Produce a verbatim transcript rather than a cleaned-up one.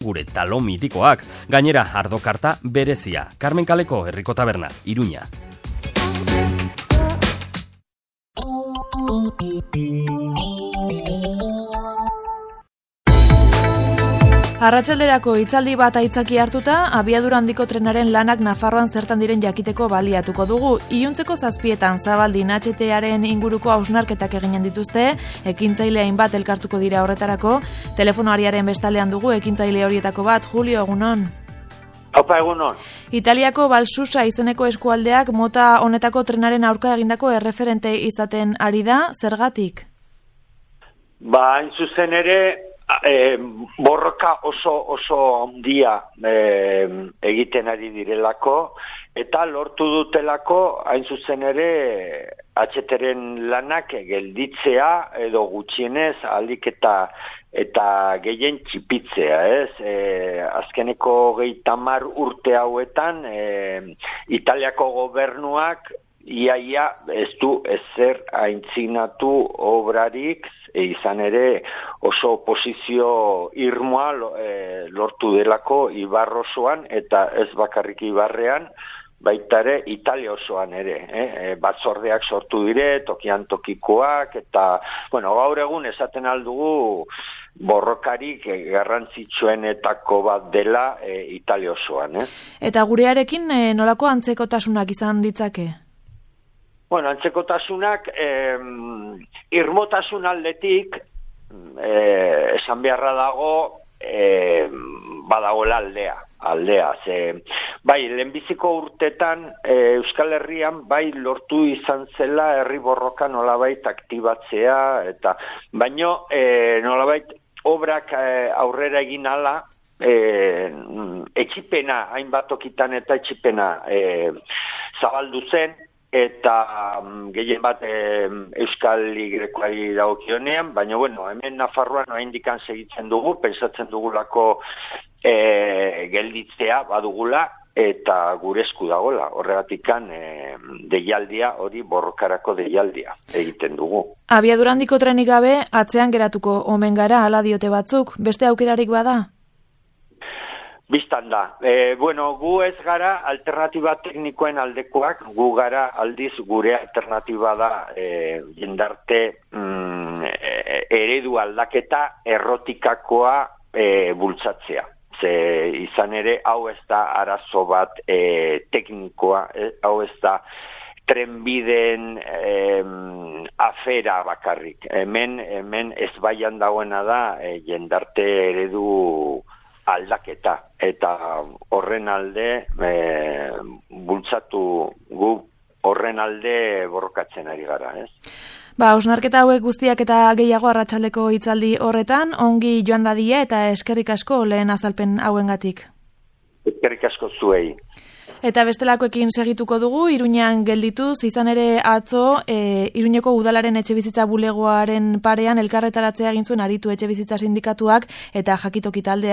gure talo mitikoak, gainera ardokarta berezia. Carmen Kaleko Herriko Taberna, Iruña. Arratsalderako hitzaldi bat aitzaki hartuta, abiadura handiko trenaren lanak Nafarroan zertan diren jakiteko baliatuko dugu. Iluntzeko zazpietan Zabaldi H T-aren inguruko hausnarketak eginen dituzte, ekintzaile hainbat elkartuko dira horretarako. Telefonoariaren bestaldean dugu ekintzaile horietako bat, Julio, egunon. Opa, egunon. Italiako Balsusa izeneko eskualdeak mota honetako trenaren aurka egindako erreferente izaten ari da, zergatik? Ba, hain zuzen ere, E, borroka oso oso handia e, egiten ari direlako eta lortu dutelako hain zuzen ere H T-ren lanak gelditzea edo gutxienez aldik eta eta gehien txipitzea, ez? E, azkeneko gehieta hamar urte hauetan e, Italiako gobernuak iaia ez du ezer aintzinatu obrarik, e, izan ere oso oposizio irmoa e, lortu delako Ibar osoan, eta ez bakarrik Ibarrean, baita ere Italia osoan ere. Eh? Batzordeak sortu dire, tokian tokikoak, eta bueno, gaur egun esaten aldugu borrokarik garrantzitsuenetako bat dela e, Italia osoan. Eh? Eta gurearekin e, nolako antzekotasunak izan ditzake? Bueno, antzekotasunak eh, irmotasun aldetik eh, esan beharra dago eh, badagoela aldea, aldea. Ze, bai, lehenbiziko urtetan eh, Euskal Herrian bai lortu izan zela herri borroka nolabait aktibatzea, eta baino eh, nolabait obrak eh, aurrera egin ala, eh, etxipena, hainbat okitan eta etxipena eh, zabaldu zen, eta um, gehien bat e, Euskal Y-koari dagokionean, baina bueno, hemen Nafarroan oraindikan segitzen dugu, pentsatzen dugulako e, gelditzea badugula, eta gure esku dagola, horregatikan e, deialdia, hori borrokarako deialdia egiten dugu. Abiadura handiko trenik gabe, atzean geratuko omen gara, hala diote batzuk, beste aukerarik bada? Bistan da. E, bueno, gu ez gara alternatiba teknikoen aldekoak, gu gara aldiz gure alternatiba da e, jendarte mm, e, eredu aldaketa errotikakoa e, bultzatzea. Ze izan ere, hau ez da arazo bat e, teknikoa, e, hau ez da trenbideen e, afera bakarrik. Hemen, hemen ez baian dagoena da e, jendarte eredu aldaketa, eta horren alde e, bultzatu gu horren alde borrokatzen ari gara, ez? Ba, hausnarketa hauek guztiak eta gehiago arratsaldeko hitzaldi horretan, ongi joan dadila eta eskerrik asko lehen azalpen hauengatik. Eskerrik asko zuei. Eta bestelakoekin segituko dugu, Iruñean geldituz, izan ere atzo, e, Iruñeko udalaren etxebizitza bulegoaren parean elkarretaratzea egin zuen aritu etxebizitza sindikatuak eta jakitoki taldea.